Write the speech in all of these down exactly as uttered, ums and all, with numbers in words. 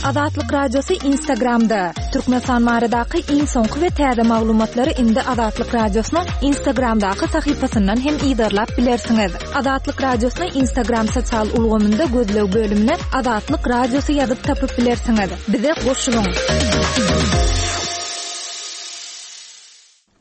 Azatlyk Radiosy Instagramda. Türkmenistan baradaky iň soňky we täze maglumatlary indi Azatlyk Radiosynyň Instagramdaky sahypasyndan hem yzarlap bilersiňiz. Azatlyk Radiosyny Instagram sosial ulgamynda gözleg bölümine Azatlyk Radiosy ýazyp tapyp bilersiňiz. Bize goşulyň.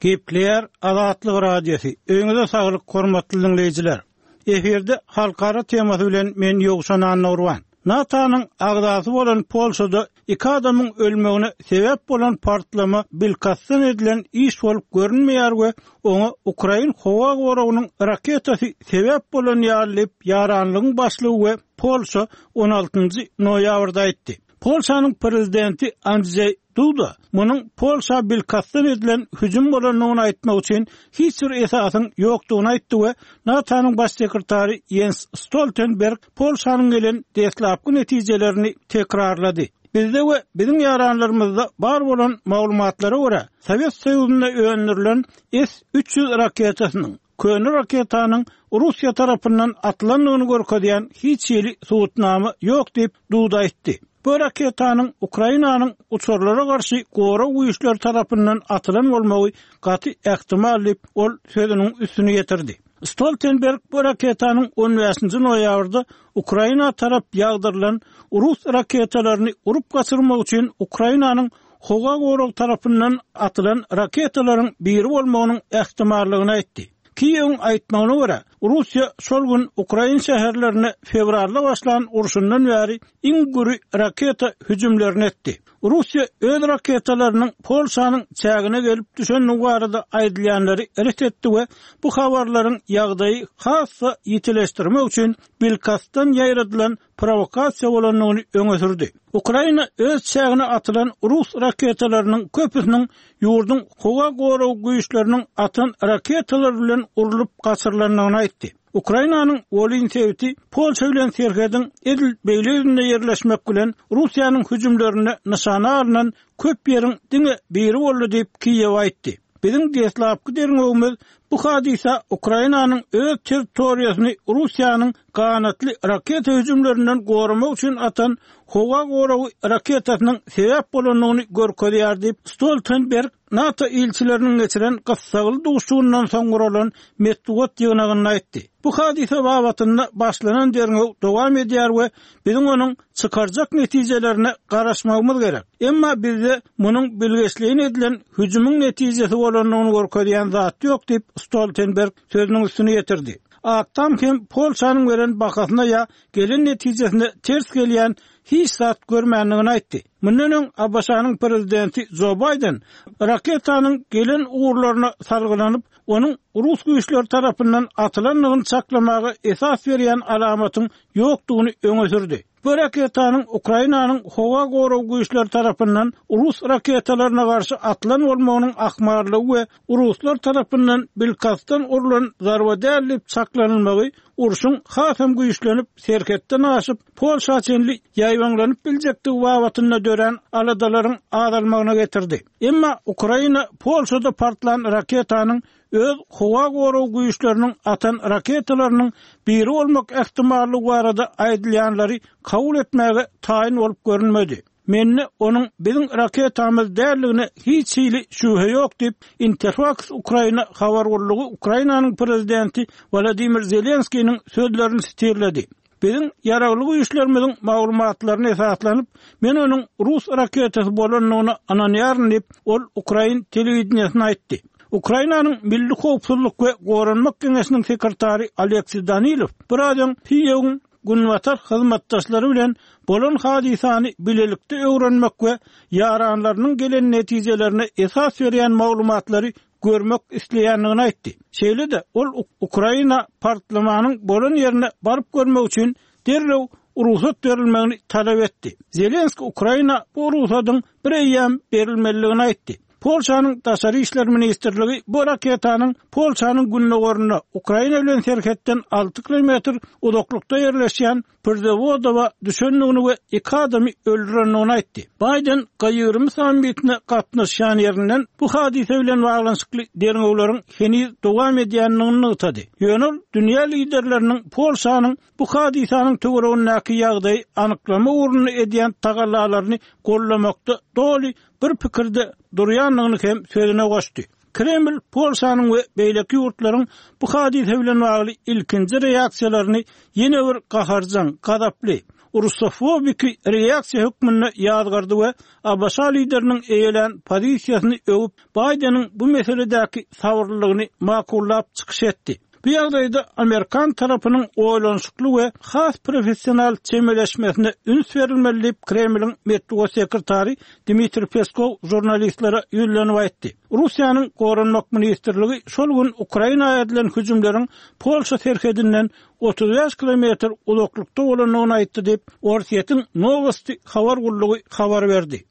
Gepleýär Azatlyk Radiosy. Öýüňize saglyk, hormatly diňleýjiler. Efirde halkara temasy bilen men Ýowşan Annagurban. NATO-nyň agzasy bolan Polşada iki adamyň ölmegine sebäp bolan partlama bilkastdan edilen iş bolup görünmeýär we oňa Ukrain howa goragynyň raketasy sebäp bolan ýaly diýip, ýaranlygyň başlygy we Polşa on altynjy noýabrda aýtdy. Polşanyň prezidenti Andrzej Duda munuň Polşa bilkastdan edilen hüjüm bolandygyny aýtmak üçin hiç bir esasyň ýokdugyny aýtdy we NATO-nyň baş sekretary Jens Stoltenberg Polşanyň gelen deslapky netijelerini tekrarlady. Bizde we biziň ýaranlarymyzda bar bolan maglumatlara görä, Sowet Soýuzynda öndürilen S üç ýüz raketasynyň köne raketanyň Russiýa tarapyndan atylandygyny görkezýän hiç hili subutnama ýok diýip, Duda aýtdy. Bu raketanyň Ukrainanyň uçarlara garşy gorag güýçleri tarapyndan atylan bolmagy gaty ähtimal diýip, ol sözüniň üstüni ýetirdi. Stoltenberg bu raketanyň on bäşinji noýabrda Ukraina tarap ýagdyrylan rus raketalaryny urup gaçyrmak üçin Ukrainanyň howa gorag tarapyndan atylan raketalaryň biri bolmagynyň ähtimallygyny aýtdy. Kiýewiň aýtmagyna görä, Russiýa şol gün Ukrain şäherlerine fewralda başlan urşundan bäri iň güri raketa hüjümlerini etdi. Russiýa öz raketalarynyň Polşanyň çägine gelip düşendigi barada aýdylýanlary ret etdi we bu habarlaryň ýagdaýy has-da ýitileşdirmek üçin bilkastdan ýaýradylan provokasiýa bolandygyny öňe sürdi. Ukraina öz çägine atylan rus raketalarynyň köpüsiniň ýurduň howa gorag güýçleriniň atan raketalary bilen urlup gaçyrylandygyny aýtdy. Ukrainanyň Wolin sebiti Polşa bilen serhediň edil beýle ýüzünde ýerleşmek bilen Russiýanyň hüjümlerine nyşana alnan köp ýeriň diňe biri boldy diýip Kiýew aýtdy. Biziň deslapky derňewimiz bu hadysa Ukrainanyň öz territoriýasyny Russiýanyň ganatly raketa hüjümlerinden goramak üçin atan howa goragy raketasynyň sebäp bolandygyny görkezýär diýip Stoltenberg NATO ilçileriniň geçiren gyssagly duşuşygyndan soň guralan metbugat ýygnagynda aýtdy. Bu hadysa babatynda başlanan derňew dowam edýär we biziň onuň çykarjak netijelerine garaşmagymyz gerek. Emma bizde munuň bilgeşleýin edilen hüjümiň netijesi bolandygyny görkezýän zat ýok diýip Stoltenberg sözüniň üstüni ýetirdi. Ak Tam hem Polşanyň beren bahasyna ýa gelen netijesine ters gelýän hiç zat görmändigini aýtdy. Mundan öň A B Ş-nyň prezidenti Joe Biden raketanyň gelen ugurlaryna salgylanyp, onuň rus güýçleri tarapyndan atylandygyny çaklamaga esas berýän alamatyň ýokdugyny öňe sürdi. Bu raketanyň Ukrainanyň howa gorag güýçleri tarapyndan rus raketalaryna garşy atylan bolmagynyň ahmallygy we ruslar tarapyndan bilkastdan urlan zarba däl diýip çaklanylmagy urşuň hasam güýçlenip serhetden aşyp Polşa çenli ýaýbaňlanyp biljekdigi babatynda dörän aladalaryň azalmagyna getirdi. Emma Ukraina Polşada partlan raketanyň öz howa gorag güýçleriniň atan raketalarynyň biri bolmak ähtimallygy barada aýdylýanlary kabul etmäge taýyn bolup görünmedi. Mende onuň biziň raketamyz däldigine hiç hili şübhe ýok diýip Interfax Ukraina habar gullugy Ukrainanyň prezidenti Wladimir Zelenskiniň sözlerini sitirledi. Biziň ýaragly güýçlerimiziň maglumatlaryna esaslanyp, men onuň rus raketasy bolandygyna ynanýaryn diýip, ol Ukrain telewideniýesine aýtdy. Ukrainanyň Milli Howpsuzlyk we Goranmak Geňeşiniň sekretary Aleksiý Danilow bir öň Kiýewiň günbatar hyzmatdaşlary bilen bolan hadysany bilelikde öwrenmek we ýaranlarynyň gelen netijelerine esas berýän maglumatlary görmek isleýändigini aýtdy. Şeýle-de ol Ukraina partlamanyň bolan ýerine baryp görmek üçin derrew rugsat berilmegini talap etdi. Zelenski Ukraina bu rugsadyň bir eýýäm berilmelidigini aýtdy. Polşanyň Daşary işler ministrligi bu raketanyň Polşanyň gündogarynda Ukraina bilen serhetden alty kilometr uzaklykda ýerleşýän Przewodowa düşendigini we iki adamy öldürendigini aýtdy. Baýden G ýigrimi sammitine gatnaşýan ýerinden bu hadysa bilen baglanyşykly derňewleriň heniz dowam edýändigini nygtady. Ýöne ol dünýä liderleriniň Polşanyň bu hadysanyň töweregindäki ýagdaýy anyklama ugrunda edýän tagallalaryny gollamakda doly bir pikirde durýandygyny hem sözüne goşdy. Kreml Polşanyň we beýleki ýurtlaryň bu hadysa bilen bagly ilkinji reaksiýalaryny ýene bir gaharjaň, gazaply, rusofobiki reaksiýa hökmünde ýazgardy we A B Ş lideriniň eýelän pozisiýasyny öwüp, Baýdeniň bu meseledäki sabyrlylygyny makullap çykyş etdi. Bu ýagdaýda Amerikan tarapynyň oýlanyşykly we has professional çemeleşmesine üns berilmeli diýip Kremliň metbugat sekretary Dmitriý Peskov žurnalistlere ýüzlenip aýtdy. Russiýanyň Goranmak ministrligi şol gün Ukraina edilen hüjümleriň Polşa serhedinden otuz bäş kilometr uzaklykda bolandygyny aýtdy diýip, Orsýetiň Novosti habar gullugy habar berdi.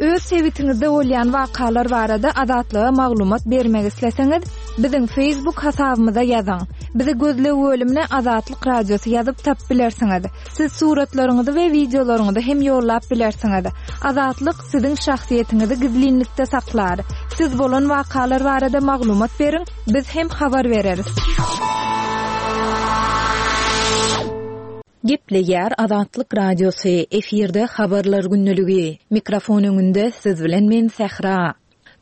Öz sebitiňizde bolýan wakalar barada Azatlyga maglumat bermek isleseňiz, biziň Facebook hasabymyza ýazyň. Bizi gözleg bölümine Azatlyk Radiosy ýazyp tap bilersiňiz. Siz suratlaryňyzy we wideolaryňyzy hem ýollap bilersiňiz. Azatlyk siziň şahsyýetiňizi gizlinlikde saklar. Siz bolan wakalar barada maglumat beriň, biz hem habar bereris. Gepleýär Azatlyk Radiosy, efirde habarlar günlügi. Mikrofon öňünde siz bilen men Sähra.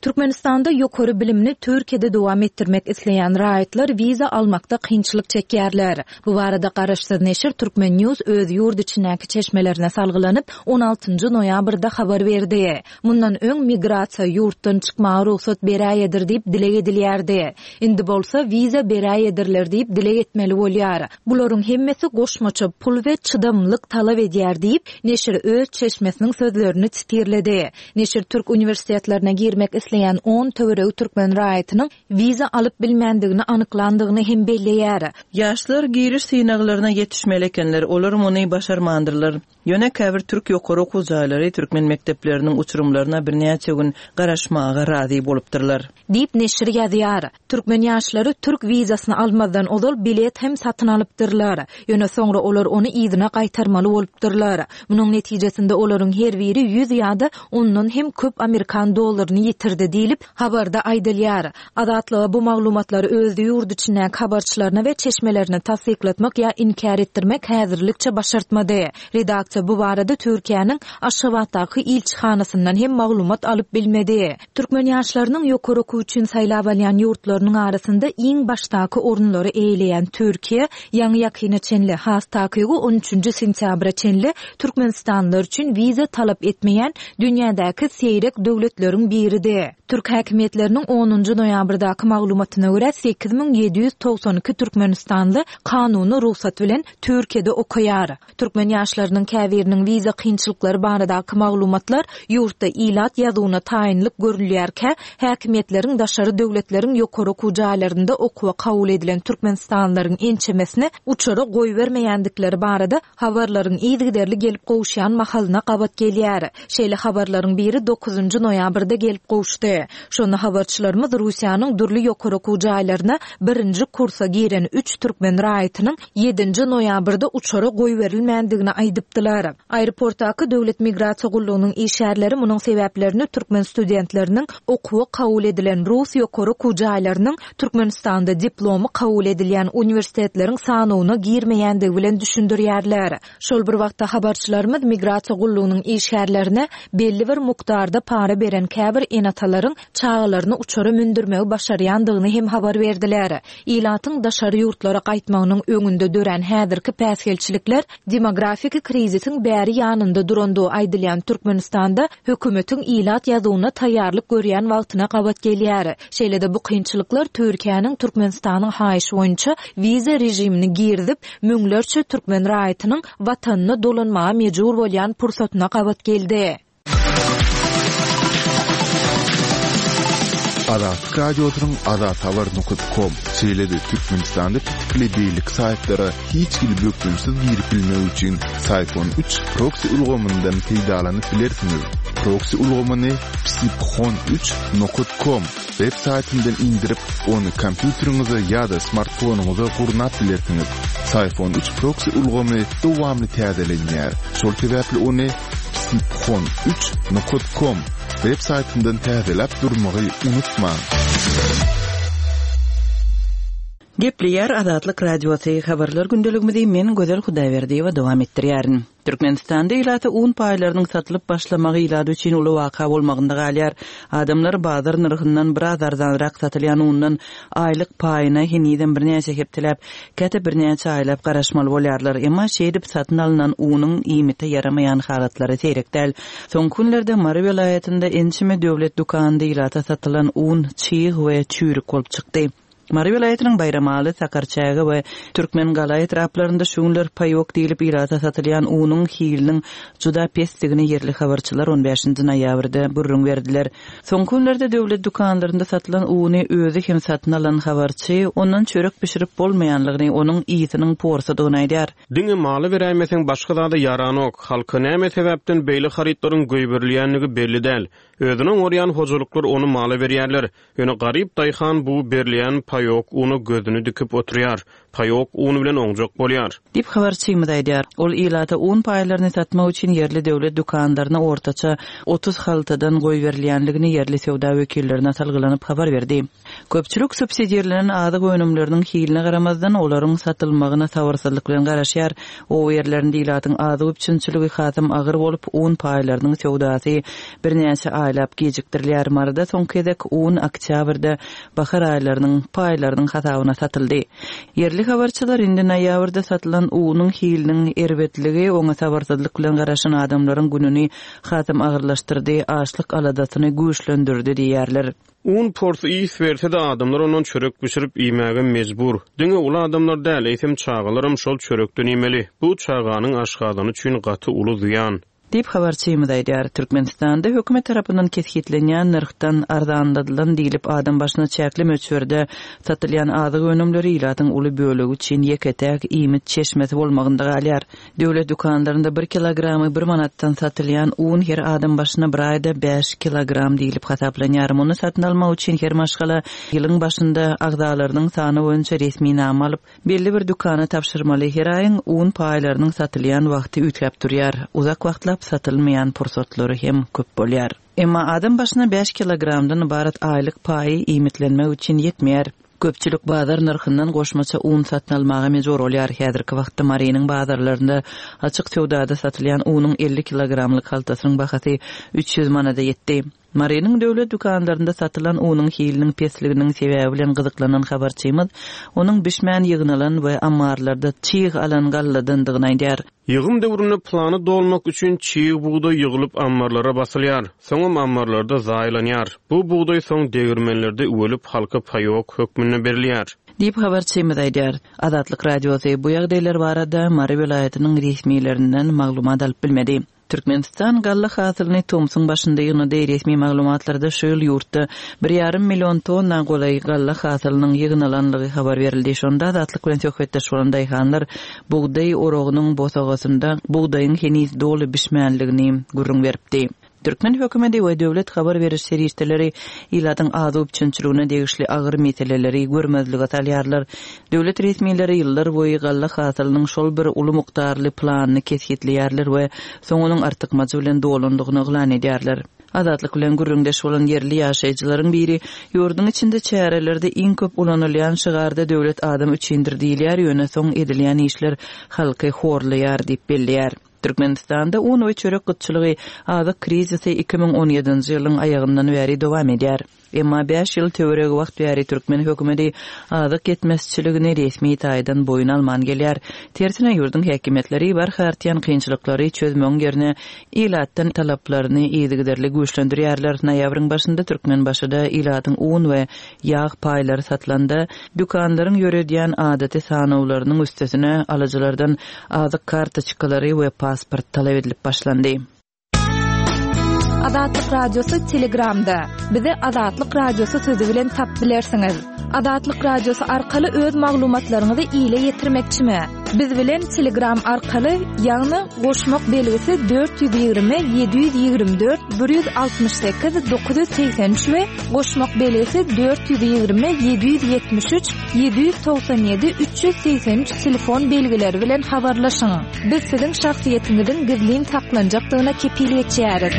Türkmenistanda ýokary bilimini Türkiýede dowam etdirmek isleýän raýatlar wiza almakda kynçylyk çekýärler. Bu barada garaşsyz neşir Türkmen News öz ýurt içindäki çeşmelerine salgylanyp on altynjy noýabrda habar berdi. Mundan öň migrasiýa ýurtdan çykmaga rugsat beräýedir diýip dileg edilýärdi. Indi bolsa wiza beräýedirler diýip dileg etmeli bolýar. Bularyň hemmesi goşmaça pul we çydamlyk talap edýär diýip neşir öz çeşmesiniň sözlerini titirledi. Neşir Türk uniwersitetlerine girmek isleýän on töweregi türkmen raýatynyň wiza alyp bilmändigini anyklandygyny hem belleýär. Ýaşlar giriş synaglaryna ýetişmeli ekenler, olar muny başarmandyrlar. Ýöne käbir türk ýokary okuw jaýlary türkmen mekdepleriniň uçurymlaryna birnäçe gün garaşmaga razy bolupdyrlar. Diýip neşir ýazýar. Türkmen ýaşlary türk wizasyny almazdan ozal bilet hem satyn alypdyrlar. Ýöne soňra olar ony yzyna gaýtarmaly bolupdyrlar. Munuň netijesinde olaryň her biri ýüz ýa-da ondan hem köp Amerikan dollaryny ýitirdi diýlip habarda aýdylýar. Azatlyga bu maglumatlary öz ýurt içindäki habarçylaryna we çeşmelerine tassyklatmak ýa inkär etdirmek häzirlikçe başartmady. Redaksiýa bu barada Türkiýäniň Aşgabatdaky ilçihanasyndan hem maglumat alyp bilmedi. Türkmen ýaşlarynyň ýokary okuw üçin saýlap alýan ýurtlarynyň arasynda iň başdaky orunlary eýeleýän Türkiýe, ýaňy ýakyna çenli, has takygy on üçünji sentýabra çenli Türkmenistanlylar üçin wiza talap etmeýän dünýädäki seýrek döwletleriň biridi. Türk häkimiýetleriniň onunjy noýabrdaky maglumatyna görä sekiz müň ýedi ýüz togsan iki Türkmenistanly kanuny rugsat bilen Türkiýede okaýar. Türkmen ýaşlarynyň käbiriniň wiza kynçylyklary baradaky maglumatlar ýurtda ilat ýazuwyna taýynlyk görülýärkä, häkimiýetleriň daşary döwletleriň ýokary okuw jaýlarynda okuwa kabul edilen Türkmenistanlylaryň ençemesini uçara goýbermeýändikleri barada habarlaryň yzygiderli gelip gowuşýan mahalyna gabat gelýär. Şeýle habarlaryň biri dokuzynjy noýabrda gelip gowuşdy. Şonda habarçylarymyz Russiýanyň dürli ýokary okuw jaýlaryna birinji kursa giren üç türkmen raýatynyň ýedinji noýabrda uçara goýberilmändigini aýdypdylar. Aeroportdaky Döwlet Migrasiýa gullugynyň işgärleri munuň sebäplerini türkmen studentleriniň okuwa kabul edilen Rus ýokary okuw jaýlarynyň Türkmenistanda diplomy kabul edilýän uniwersitetleriň sanyna girmeýändigi bilen düşündirýärler. Şol bir wagtda habarçylarymyz migrasiýa gullugynyň işgärlerine belli bir mukdarda para beren käbir enatalaryň çagalaryny uçara mündürmegi başarýandygyny hem habar berdiler. Ilatyň daşary ýurtlara gaýtmagynyň öňünde dörän häzirki päsgelçilikler demografik krizisiň bäri ýanynda durandygy aýdylýan Türkmenistanda hökümetiň ilat ýazuwyna taýýarlyk görýän wagtyna gabat gelýär. Şeýle-de bu kynçylyklar Türkiýäniň Türkmenistanyň haýyşy boýunça wiza režimini girizip, müňlerçe türkmen raýatynyň watanyna dolanmaga mejbur bolýan pursatyna gabat geldi. Azatlyk Radiosynyň azathabar nokta com şeýle-de Türkmenistanda pitikli beýleki saýtlara hiç hili bökdençsiz girip bilmek üçin Syfon üç proxy ulgamyndan peýdalanyp bilersiňiz. Proksi ulgamyny psiphon üç nokat com web saýtyndan indirip, ony kompýuteriňize ýa-da smartfonyňyza gurnap bilersiňiz. Psiphon üç proksi ulgamy dowamly täzelenýär. Şol sebäpli ony psiphon üç nokat com web saýtyndan täzeläp durmagy unutmaň. Gepleýär Azatlyk Radiosy habarlar gündeligimizi men Gözel Hudaýberdiýewa dowam etdirýärin. Türkmenistanda ilata un paýlarynyň satylyp başlamagy ilat üçin uly waka bolmagynda galýar. Adamlar bazar nyrhyndan biraz arzanrak satylýan undan aýlyk paýyna henizem birnäçe hepdeläp, käte birnäçe aýlap garaşmaly bolýarlar. Emma şeýdip satyn alynan unuň iýmite ýaramaýan halatlary seýrek däl. Soňky günlerde Mary welaýatynda ençeme döwlet dükanynda ilata satylan un çig we çüýrük bolup çykdy. Mary welaýatynyň Baýramaly, Sakarçäge we Türkmengala etraplarynda şu günler paýok diýlip ilata satylýan unuň hiliniň juda pesdigini ýerli habarçylar on bäşinji noýabrda gürrüň berdiler. Soňky günlerde döwlet dükanlarynda satylan uny özi hem satyn alan habarçy ondan çörek bişirip bolmaýanlygyny, onuň ýygynyň porsadygyny aýdar. Diňe maly beräýmeseň başga zada ýaranok. Halka näme sebäpden beýle harytlaryň goýberilýänligi belli däl. Özüne oňarýan hojalyklar ony mala berýärler. Ýöne garyp daýhan bu berilýän paýok unu gözüni dikip oturýar. Paýok un bilen oňjak bolýar. Diýip habarçymyz aýdar. Ol ilata un paýlaryny satmak üçin ýerli döwlet dükanlaryna ortaça otuz haltadan goýberilýänligini ýerli söwda wekillerine salgylanyp habar berdi. Köpçülik subsidirlenen azyk önümleriniň hiline garamazdan olaryň satylmagyna sabyrsyzlyk bilen garaşýar. O ýerlerinde ilatyň azyk üpjünçiligi hasam agyr bolup, un paýlarynyň söwdasy birnäçe aýlap gecikdirilýär. Maryda soňky gezek un oktýabrda bahar aýlarynyň paýlarynyň hasabyna satyldy. Ýerli habarçylar indi noýabrda satylan unuň hiliniň erbetligi oňa sabyrsyzlyk bilen garaşan adamlaryň gününi hasam agyrlaşdyrdy, açlyk aladasyny güýçlendirdi diýýärler. Un porsy ýis berse-de adamlar ondan çörek bişirip iýmäge mejbur. Diňe uly adamlar däl, eýsem çagalaram şol çörekden iýmeli. Bu çaganyň aşgazany üçin gaty uly zyýan. Diýip habarçymyz aýdar. Türkmenistanda hökümet tarapyndan kesgitlenýän nyrhdan arzanladylan diýlip adam başyna çäkli möçberde satylýan azyk önümleri ilatyň uly bölegi üçin ýeke-täk iýmit çeşmesi bolmagynda galýar. Döwlet dükanlarynda bir kilogramy bir manatdan satylýan un her adam başyna bir aýda bäş kilogram diýlip hasaplanýar. Muny satyn almak üçin her maşgala ýylyň başynda agzalarynyň sany boýunça resminama alyp, belli bir dükana tabşyrmaly. Her aýyň un paýlarynyň satylýan wagty üýtgäp durýar. Uzak wagtlap satylmaýan pursatlary hem köp bolýar. Emma adam başyna bäş kilogramdan ibarat aýlyk paýy iýmitlenmek üçin ýetmeýär. Köpçülik bazar nyrhyndan goşmaça un satyn almaga mejbur bolýar. Häzirki wagtda Marynyň bazarlarynda açyk söwdada satylýan unuň elli kilogramlyk haltasynyň bahasy üç ýüz manada ýetdi. Marynyň döwlet dükanlarynda satylan unuň hiliniň pesliginiň sebäbi bilen gyzyklanan habarçymyz onuň bişmän ýygnalan we ammarlarda çig alan galladandygyny aýdar. Ýygym döwründe plany dolmak üçin çig bugdaý ýygylyp ammarlara basylýar. Soňam ammarlarda zaýalanýar. Bu bugdaý soň degirmenlerde üwelip halka paýok hökmünde berilýär. Diýip habarçymyz aýdar. Azatlyk Radiosy bu ýagdaýlar barada Mary welaýatynyň resmilerinden maglumat alyp bilmedi. Türkmenistan galla hasylyny tomsuň başynda ýygnady. Resmi maglumatlarda şu ýyl ýurtda bir ýarym million tonna golaý galla hasylynyň ýygnalanlygy habar berildi. Şonda Azatlyk bilen söhbetdeş bolan daýhanlar bugdaý oragynyň bosagasynda bugdaýyň heniz doly bişmänligini gürrüň beripdi. Türkmen hökümeti we döwlet habar beriş serişdeleri ilatyň azyk üpjünçiligine degişli agyr meseleleri görmezlige salýarlar. Döwlet resmileri ýyllar boýy galla hasylynyň şol bir uly mukdarly planyny kesgitleýärler we soň onuň artykmajy bilen dolandygyny yglan edýärler. Azatlyk bilen gürrüňdeş bolan ýerli ýaşaýjylaryň biri ýurduň içinde çärelerde iň köp ulanylýan şygarda döwlet adam üçindir diýilýär, ýöne soň edilýän işler halky horlaýar diýip belleýär. Türkmenistanda un we çörek gytçylygy azyk krizisi iki müň on ýedinji ýylyň aýagyndan bäri dowam edýär. Emma bäş ýyl töweregi wagt bäri türkmen hökümeti azyk ýetmezçiligini resmi taýdan boýun alman gelýär. Tersine ýurduň häkimiýetleri barha artýan kynçylyklary çözmegiň ýerine ilatdan talaplaryny yzygiderli güýçlendirýärler. Noýabryň başynda Türkmenbaşyda ilatyň un we ýag paýlary satylanda dükanlaryň ýöredýän adaty sanawlarynyň üstesine alyjylardan azyk kartoçkalary we pasport talap edilip başlandy. Azatlyk Radiosy Telegramda. Bizi Azatlyk Radiosy sözi bilen tap bilersiňiz. Azatlyk Radiosy arkaly öz maglumatlaryňyzy ile ýetirmekçimi? Biz bilen Telegram arkaly, ýagny goşmak belgisi dört ýüz ýigrimi ýedi ýüz ýigrimi dört bir ýüz altmyş sekiz dokuz ýüz segsen üç we goşmak belgisi dört ýüz ýigrimi ýedi ýüz ýetmiş üç ýedi ýüz togsan ýedi üç ýüz segsen üç telefon belgileri bilen habarlaşyň. Biz siziň şahsyýetiňiziň gizlin saklanjakdygyna kepil geçýäris.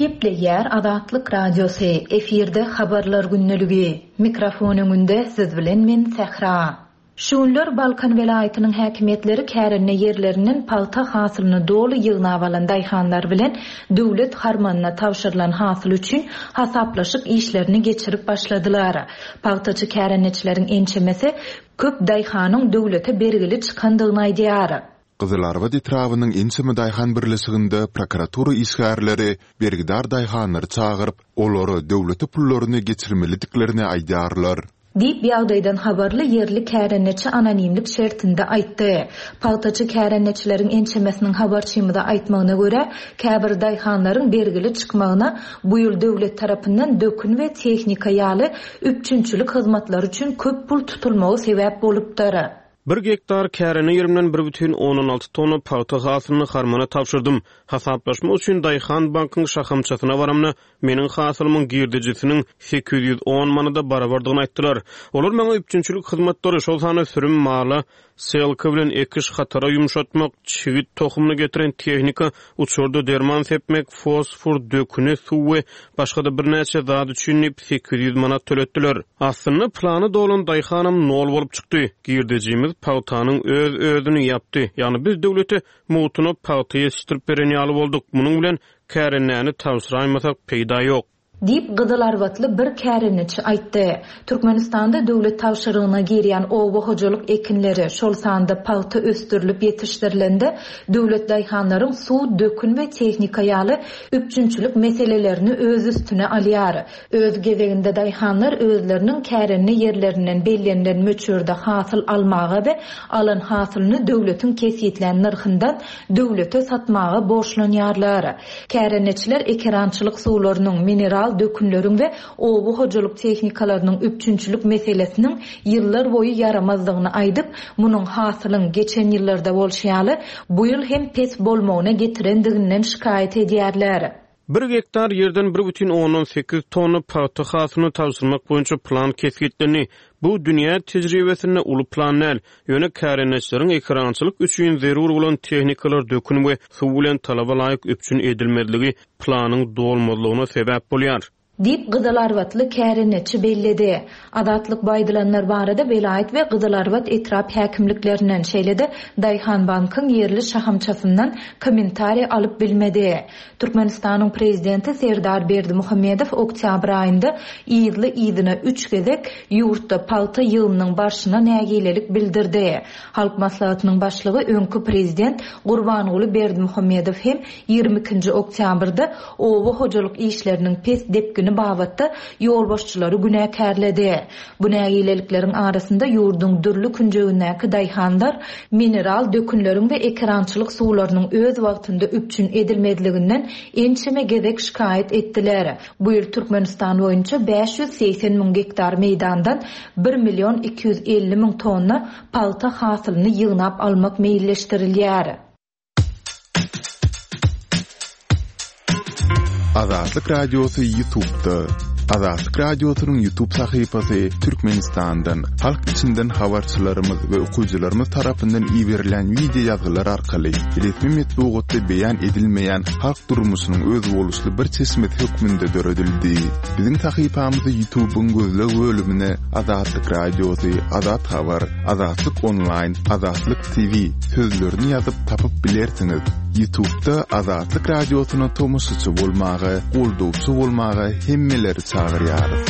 Gepleýär Azatlyk Radiosy, efirde Habarlar gündeligi. Mikrofon öňünde siz bilen men Sähra. Şu günler Balkan welaýatynyň häkimiýetleri kärende ýerlerinden pagta hasylyny doly ýygnap alan daýhanlar bilen döwlet harmanyna tabşyrylan hasyl üçin hasaplaşyk işlerini geçirip başladylar. Pagtaçy kärendeçileriň ençemesi köp daýhanyň döwlete bergili çykandygyny aýdýar. Gyzylarbat etrabynyň ençeme daýhan birleşiginde prokuratura işgärleri bergidar daýhanlary çagyryp, olara döwlete pullaryny geçirmelidiklerini aýdýarlar. Diýip, ýagdaýdan habarly ýerli kärendeçi anonimlik şertinde aýtdy. Pagtaçy kärendeçileriň ençemesiniň habarçymyza aýtmagyna görä, käbir daýhanlaryň bergili çykmagyna bu ýyl döwlet tarapyndan dökün we tehnika ýaly üpjünçilik hyzmatlary üçin köp pul tutulmagy sebäp bolupdyr. Bir gektar kärende ýerimden bir bütin ondan alty tonna pagta hasylyny harmana tabşyrdym. Hasaplaşmak üçin Daýhan bankyň şahamçasyna baramda, meniň hasylymyň girdejisiniň sekiz ýüz on manada barabardygyny aýtdylar. Olar maňa üpjünçilik hyzmatlary, şol sanda sürüm mala, selka bilen ekiş hatara ýumşatmak, çigit tohumyny getiren tehnika, uçurda derman sepmek, fosfor, döküni, suw we başga-da birnäçe zat üçin diýip sekiz ýüz manat töletdiler. Aslynda plany dolan daýhanam nol bolup çykdy. Girdejimiz pagtanyň öz-özüni ýapdy. Ýagny biz döwlete mugtuna pagta ýetişdirip beren ýaly bolduk. Munuň bilen kärendäni tabşyraýmasak peýda ýok. Diýip, Gyzylarbatly bir kärendeçi aýtdy. Türkmenistanda döwlet tabşyrygyna girýän oba hojalyk ekinleri, şol sanda pagta ösdürilip ýetişdirilende, döwlet daýhanlaryň suw, dökün we tehnika ýaly üpjünçilik meselelerini öz üstüne alýar. Öz gezeginde daýhanlar özleriniň kärende ýerlerinden bellenilen möçberde hasyl almaga we alan hasylyny döwletiň kesgitlän nyrhyndan döwlete satmaga borçlanýarlar. Kärendeçiler ekerançylyk suwlarynyň, mineral dökünleriň we oba hojalyk tehnikalarynyň üpjünçilik meselesiniň ýyllar boýy ýaramazdygyny aýdyp, munuň hasylyň geçen ýyllarda bolşy ýaly, bu ýyl hem pes bolmagyna getirendiginden şikaýat edýärler. Bir gektar ýerden bir bütin ondan sekiz tonna pagta hasylyny tabşyrmak boýunça plan kesgitlendi. Bu dünýä tejribesinde uly plan däl, ýöne kärendeçileriň ekerançylyk üçin zerur bolan tehnikalar dökün we suw bilen talaba laýyk üpjün edilmezligi planyň dolmazlygyna sebäp bolýar. Diýip, Gyzylarbatly kärendeçi belledi. Azatlyk bu aýdylanlar barada welaýat we Gyzylarbat etrap häkimliklerinden, şeýle-de Daýhan bankyň ýerli şahamçasyndan kommentariý alyp bilmedi. Türkmenistanyň prezidenti Serdar Berdimuhamedow oktýabr aýynda yzly-yzyna üç gezek ýurtda pagta ýygymynyň barşyna nägilelik bildirdi. Halk maslahatynyň başlygy öňki prezident Gurbanguly Berdimuhamedow hem ýigrimi ikinji oktýabrda oba hojalyk işleriniň pes depgini babatda ýolbaşçylary günäkärledi. Bu nägilelikleriň arasynda ýurduň dürli künjegindäki daýhanlar mineral dökünleriň we ekerançylyk suwlarynyň öz wagtynda üpjün edilmezliginden ençeme gezek şikaýat etdiler. Bu ýyl Türkmenistan boýunça bäş ýüz segsen müň gektar meýdandan bir million iki ýüz elli müň tonna pagta hasylyny ýygnap almak meýilleşdirilýär. Azatlyk Radiosy YouTube'da. Azatlyk Radiosynyň YouTube sahypasy Türkmenistandan, halk içinden habarçylarymyz we okyjylarymyz tarapyndan iberilen video ýazgylar arkaly resmi metbugatda beýan edilmeýän halk durmuşynyň özboluşly bir çeşmesi hökmünde döredildi. Biziň sahypamyzy YouTube'yň gözleg bölümine Azatlyk Radiosy, Azat Habar, Azatlyk Online, Azatlyk T V sözlerini ýazyp tapyp bilersiňiz. YouTube'da Azatlyk Radiosyna tomaşaçy bolmaga, goldawçy bolmaga hemmeleri çagyrýarys.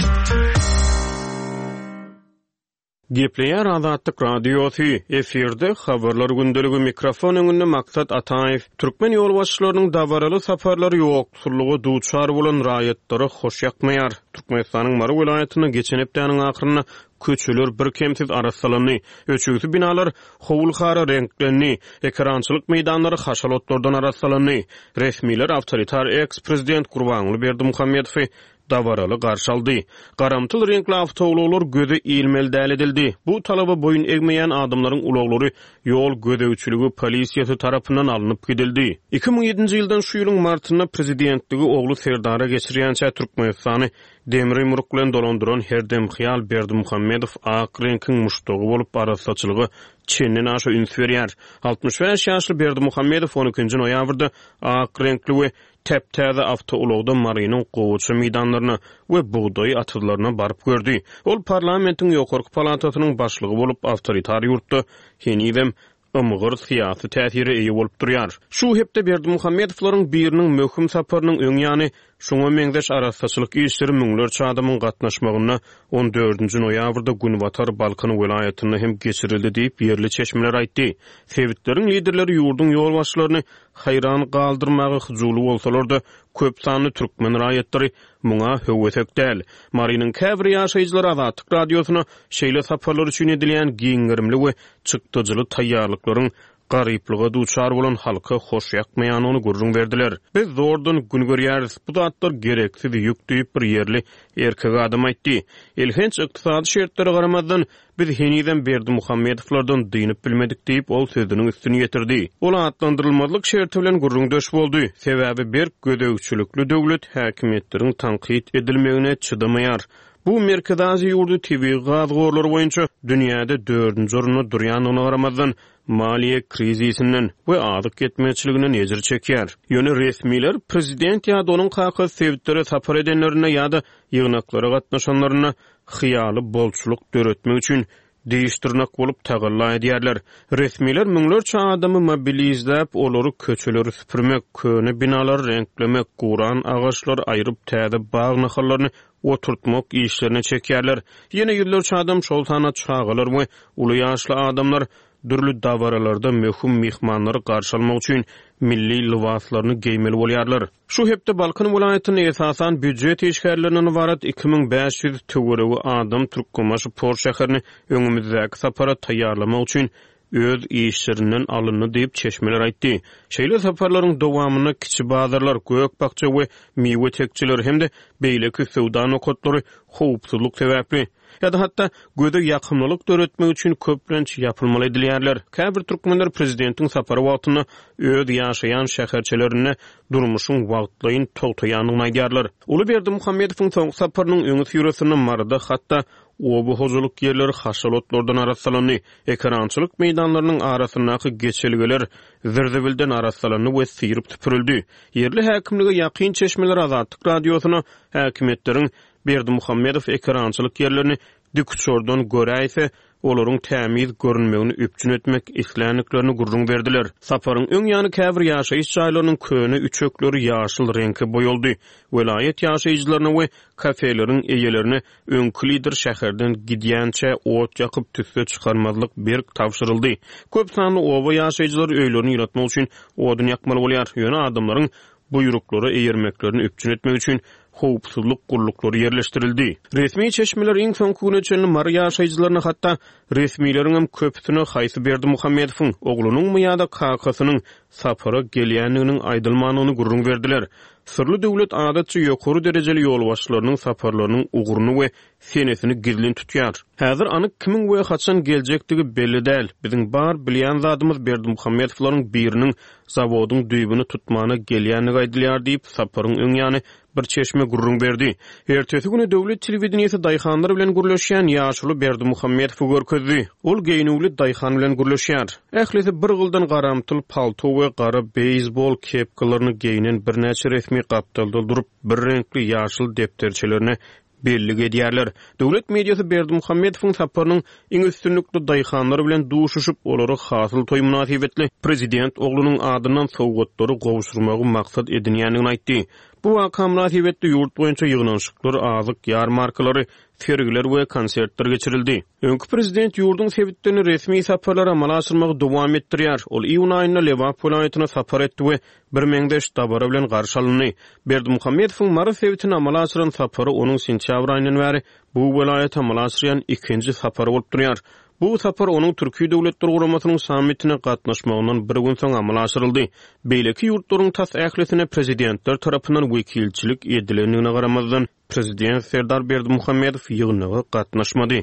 Gepleýär Azatlyk Radiosy, efirde habarlar gündeligi, mikrofon öňünde Maksat Ataýew. Türkmen ýolbaşçylarynyň dabaraly saparlary ýoksullyga duçar bolan raýatlara hoş ýakmaýar. Türkmenistanyň Mary welaýatynda geçen hepdäniň ahyrynda köçeler bir kemsiz arassalandy. Öçügsi binalar howul-hara reňklendi. Ekerançylyk meýdanlary haşal otlardan arassalandy. Resmiler awtoritar eks-prezident Gurbanguly Berdimuhamedowy dabaraly garşy aldy. Garamtyl reňkli awtoulaglar göze ilmeli däl edildi. Bu talaba boýun egmeýän adamlaryň ulaglary ýol gözegçiligi polisiýasy tarapyndan alnyp gidildi. Iki müň ýedinji ýyldan şu ýylyň martynda prezidentligi ogly Serdara geçirýänçä Türkmenistany demir ýumruk bilen dolandyran herdemhyýal Berdimuhamedow ak reňkiň muşdagy bolup arassaçylyga çenden aşa üns berýär. Altmyş bäş ýaşly Berdimuhamedow on ikinji noýabrda ak reňkli we täp-täze awtoulagda Marynyň gowaça meýdanlaryna we bugdaý atyzlaryna baryp gördi. Ol parlamentiň ýokarky palatasynyň başlygy bolup awtoritar ýurtda henizem ymgyr syýasy täsire eýe bolup durýar. Şu hepde Berdimuhamedowlaryň biriniň möhüm saparynyň öň ýany şoňa meňzeş arassaçylyk işleri müňlerçe adamyň gatnaşmagynda on dördünji noýabrda Günbatar Balkan welaýatynda hem geçirildi diýip ýerli çeşmeler aýtdy. Sebitleriň liderleri ýurduň ýolbaşçylaryny haýran galdyrmaga hyjuwly bolsalar-da, köp sanly türkmen raýatlary muňa höwesek däl. Marynyň käbir ýaşaýjylary Azatlyk radiosyna şeýle saparlar üçin edilýän giň gerimli we çykdajyly taýýarlyklaryň garyplyga duçar bolan halka hoş ýakmaýanyny gürrüň berdiler. Biz zordan gün görýäris, bu zatlar gereksiz ýük diýip bir ýerli erkek adam aýtdy. Elhenç ykdysady şertlere garamazdan biz henizem Berdimuhamedowlardan dynyp bilmedik diýip ol sözüniň üstüni ýetirdi. Ol atlandyrylmazlyk şerti bilen gürrüňdeş boldy. Sebäbi berk gözegçilikli döwlet häkimiýetleriň tankyt edilmegine çydamaýar. Bu Merkezi Aziýa ýurdy tebigy gaz gorlary boýunça dünýäde dördünji orunda durýandygyna garamazdan maliýe krizisinden we azyk ýetmezçiliginden ejir çekýär. Ýöne resmiler prezident ýa-da onuň kakasy sebitlere sapar edenlerinde ýa-da ýygnaklara gatnaşanlarynda hyýaly bolçulyk döretmek üçin diş dyrnak bolup tagalla edýärler. Resmiler müňlerçe adamy mobilizläp, olary köçeleri süpürmek, köne binalary reňklemek, guran agaçlary aýryp täze bag nahallaryny oturtmak işlerine çekýärler. Ýene ýüzlerçe adam, şol sanda çagalar we uly ýaşly adamlar dürli dabaralarda möhüm mehmanlary garşy almak üçin milli lybaslaryny geýmeli bolýarlar. Şu hepde Balkan welaýatynda esasan býujet işgärlerinden ybarat iki müň bäş ýüz töweregi adam Türkmenbaşy port şäherini öňümizdäki sapara taýýarlamak üçin öz işlerinden alyndy diýip çeşmeler aýtdy. Şeýle saparlaryň dowamynda kiçi bazarlar, gök bakja we miwe tekçeleri hem-de beýleki söwda nokatlary howpsuzlyk sebäpli ýa-da hatda göze ýakymlylyk döretmek üçin köplenç ýapylmaly edilýärler. Käbir türkmenler prezidentiň sapary wagtynda öz ýaşaýan şäherçelerinde durmuşyň wagtlaýyn togtaýandygyny aýdýarlar. Uly Berdimuhamedowyň soňky saparynyň öňi syrasynda Maryda hatda oba hojalyk ýerleri haşalotlardan arassalandy. Ekerançylyk meýdanlarynyň arasyndaky geçelgeler zirzibilden arassalandy we syryp süpürildi. Ýerli häkimlige ýakyn çeşmeler Azatlyk radiosyna häkimiýetleriň Berdimuhamedow ekerançylyk ýerlerini dikuçardan göräýse, olaryň tämiz görünmegini üpjün etmek isländiklerini gürrüň berdiler. Saparyň öň ýany käbir ýaşaýyş jaýlarynyň köne üçekleri ýaşyl reňke boýaldy. Welaýat ýaşaýjylaryna we kafeleriň eýelerine öňki lider şäherden gidýänçä ot ýakyp tüsse çykarmazlyk berk tabşyryldy. Köp sanly oba ýaşaýjylary öýlerini ýylatmak üçin odun ýakmaly bolýar. Ýöne adamlaryň buýruklara eýermeklerini üpjün etmek üçin howpsuzlyk gulluklary ýerleşdirildi. Resmi çeşmeler iň soňky güne çenli Mary ýaşaýjylaryna hatda resmileriň hem köpüsine haýsy Berdimuhamedowyň oglunyňmy ýa-da kakasynyň sapara gelýändiginiň aýdylmandygyny gürrüň berdiler. Syrly döwlet adatça ýokary derejeli ýolbaşçylarynyň saparlarynyň ugruny we senesini gizlin tutýar. Häzir anyk kimiň we haçan geljekdigi belli däl. Biziň bar bilýän zadymyz Berdimuhamedowlaryň biriniň zawodyň düýbüni tutmana gelýändigi aýdylýar diýip saparyň öň ýany bir çeşme gürrüň berdi. Ertesi güni döwlet telewideniýesi daýhanlar bilen gürleşýän ýaşuly Berdimuhamedowy görkezdi. Ol geýnüwli daýhan bilen gürleşýär. Ählisi bir gyldan garamtyl palto we gara beýsbol kepkalaryny geýnen birnäçe resmi gapdalda durup, bir reňkli ýaşyl depderçelerine bellik edýärler. Döwlet mediasy Berdimuhamedowyň saparynyň iň üstünlikli daýhanlar bilen duşuşyp, olary hasyl toý mynasybetli prezident oglunyň adyndan sowgatlary gowşurmagy maksat edinýändigini aýtdy. Bu waka mynasybetli ýurt boýunça ýygnanyşyklar, azyk ýarmarkalary, sergiler we konsertler geçirildi. Öňki prezident ýurduň sebitlerini resmi saparlara amala aşyrmagy dowam etdirýär. Ol iýun aýynda Lebap welaýatyna sapar etdi we bir meňzeş dabara bilen garşy alyndy. Berdimuhamedowyň Mary sebitine amala aşyran sapary onuň sentýabr aýyndan bäri bu welaýata amala aşyrýan ikinji sapary bolup durýar. Bu sapar onuň Türki Döwletler Guramasynyň sammitine gatnaşmagyndan bir gün soň amala aşyryldy. Beýleki ýurtlaryň tas ählisine prezidentler tarapyndan wekilçilik edilendigine garamazdan, prezident Serdar Berdimuhamedow ýygnaga gatnaşmady.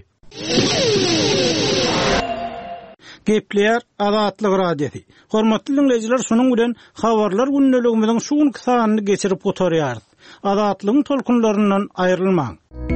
Gepleýär Azatlyk Radiosy. Hormatly diňleýjiler, şunuň bilen habarlar gündeligimiziň şu günki sanyny geçirip gutarýarys. Azatlygyň tolkunlaryndan aýrylmaň.